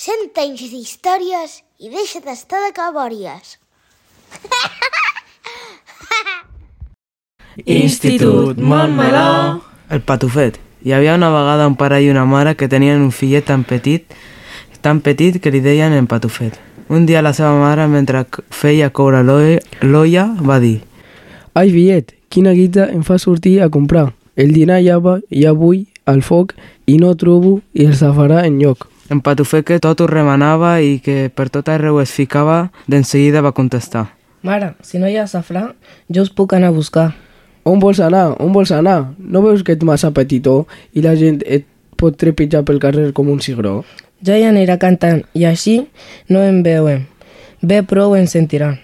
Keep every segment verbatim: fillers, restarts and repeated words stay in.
Cent anys d'històries i deixa d'estar de cabòries. Institut Montmeló. El Patufet. Hi havia una vegada un pare i una mare que tenien un fillet tan petit, tan petit que li deien en Patufet. Un dia la seva mare, mentre feia coure l'olla, va dir: Ai, fillet, quina guita em fa sortir a comprar. El dinar ja, va, ja vull al foc i no trobo i el safarà en lloc. En Patufet, que tot ho remenava i que per tot arreu es ficava, d'enseguida va contestar: Mare, si no hi ha safrà, jo us puc anar a buscar. On vols anar? On vols anar? No veus que ets massa petitó i la gent et pot trepitjar pel carrer com un cigró? Ja hi anirà cantant i així no em veuen. Bé, prou em sentiran.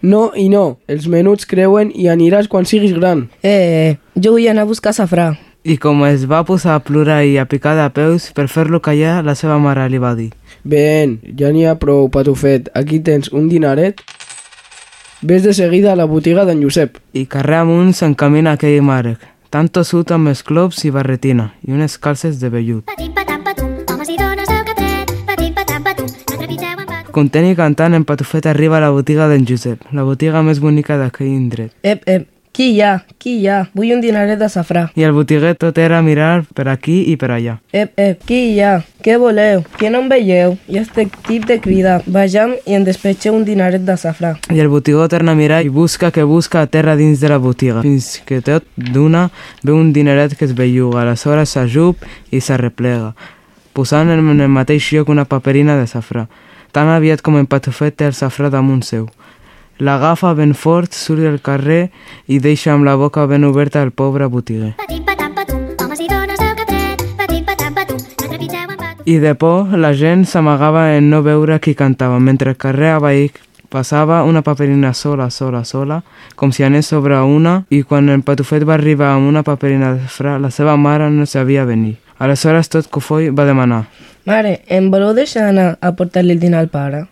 No i no, els menuts creuen i aniràs quan siguis gran. Eh, eh, jo vull anar a buscar safrà. I com es va posar a plorar i a picar de peus, per fer-lo callar, la seva mare li va dir: Ben, ja n'hi ha prou, Patufet. Aquí tens un dinaret. Ves de seguida a la botiga d'en Josep. I carrer amunt s'encamina aquell màrec, tan tossut amb esclops i barretina, i unes calces de vellut. Content i cantant, en Patufet arriba a la botiga d'en Josep, la botiga més bonica d'aquell indret. Ep, ep, qui hi ha? Qui hi ha? Vull un dinaret de safrà. I el botiguer tot era mirar per aquí i per allà. Ep, ep, qui hi ha? Què voleu? Que no em veieu? I estic tip de cridar. Vejam i em despatxeu un dinaret de safrà. I el botiguer torna a mirar i busca que busca a terra dins de la botiga, fins que tot d'una veu un dineret que es belluga, aleshores s'ajup i s'arreplega, posant en el mateix lloc una paperina de safrà. Tan aviat com en Patufet té el safrà damunt seu. L'agafa ben fort, surt al carrer i deixa amb la boca ben oberta el pobre botiguer. I de por, la gent s'amagava en no veure qui cantava, mentre el carrer avall passava una paperina sola, sola, sola, com si anés sobre una, i quan el Patufet va arribar amb una paperina de safrà, la seva mare no sabia venir. Aleshores tot cofoi va demanar: Mare, em voleu deixar anar a portar-li el dinar al pare?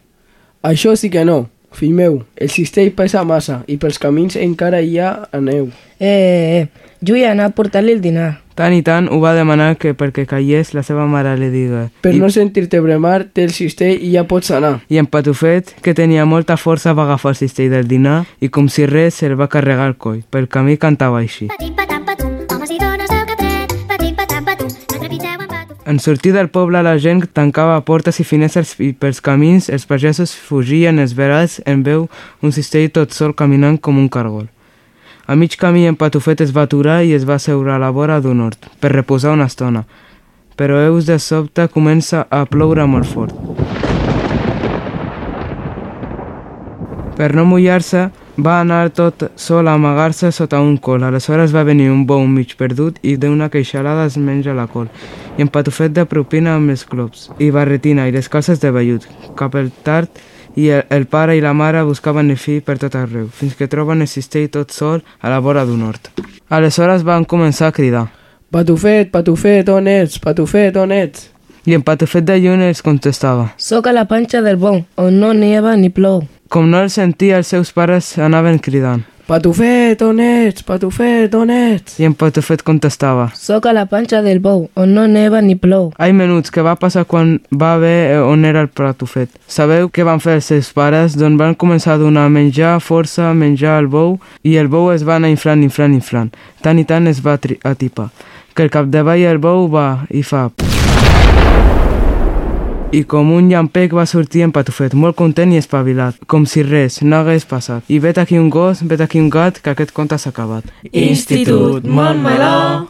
Això sí que no. Fill meu, el cistell pesa massa i pels camins encara hi ha aneu. Eh, eh, eh, jo vull anar a portar-li el dinar. Tant i tant ho va demanar que perquè callés la seva mare li diga: Per I... no sentir-te bremar, té el cistell i ja pots anar. I en Patufet, que tenia molta força, va agafar el cistell del dinar i com si res se'l va carregar al coll. Pel camí cantava així. En sortir del poble, la gent tancava portes i finestres i pels camins els pagesos fugien esverats en veu un cistell tot sol caminant com un cargol. A mig camí en Patufet es va aturar i es va asseure a la vora d'un hort per reposar una estona, però heus de sobte comença a ploure molt fort. Per no mullar-se, va anar tot sol a amagar-se sota un col. Aleshores va venir un bou mig perdut i d'una queixalada es menja la col. I en Patufet de propina amb els clops, i barretina i les calces de vellut. Cap al tard, i el, el pare i la mare buscaven el fill per tot arreu, fins que troben el cistell tot sol a la vora d'un hort. Aleshores van començar a cridar: Patufet, Patufet, on ets? Patufet, on ets? I en Patufet de lluny els contestava: Soc a la panxa del bou, on no neva ni plou. Com no els sentia, els seus pares anaven cridant: Patufet, on ets? Patufet, on ets? I en Patufet contestava: Soc a la panxa del bou, on no neva ni plou. Ai, menuts, què va passar quan va ver on era el Patufet? Sabeu què van fer els seus pares? Doncs van començar a donar menjar, força, menjar al bou, i el bou es va anar inflant, inflant, inflant. Tant i tant es va atipar, que el capdavall el bou va i fa... I com un llampec va sortir en Patufet, molt content i espavilat, com si res no hagués passat. I vet aquí un gos, vet aquí un gat, que aquest conte s'ha acabat. Institut Montmeló.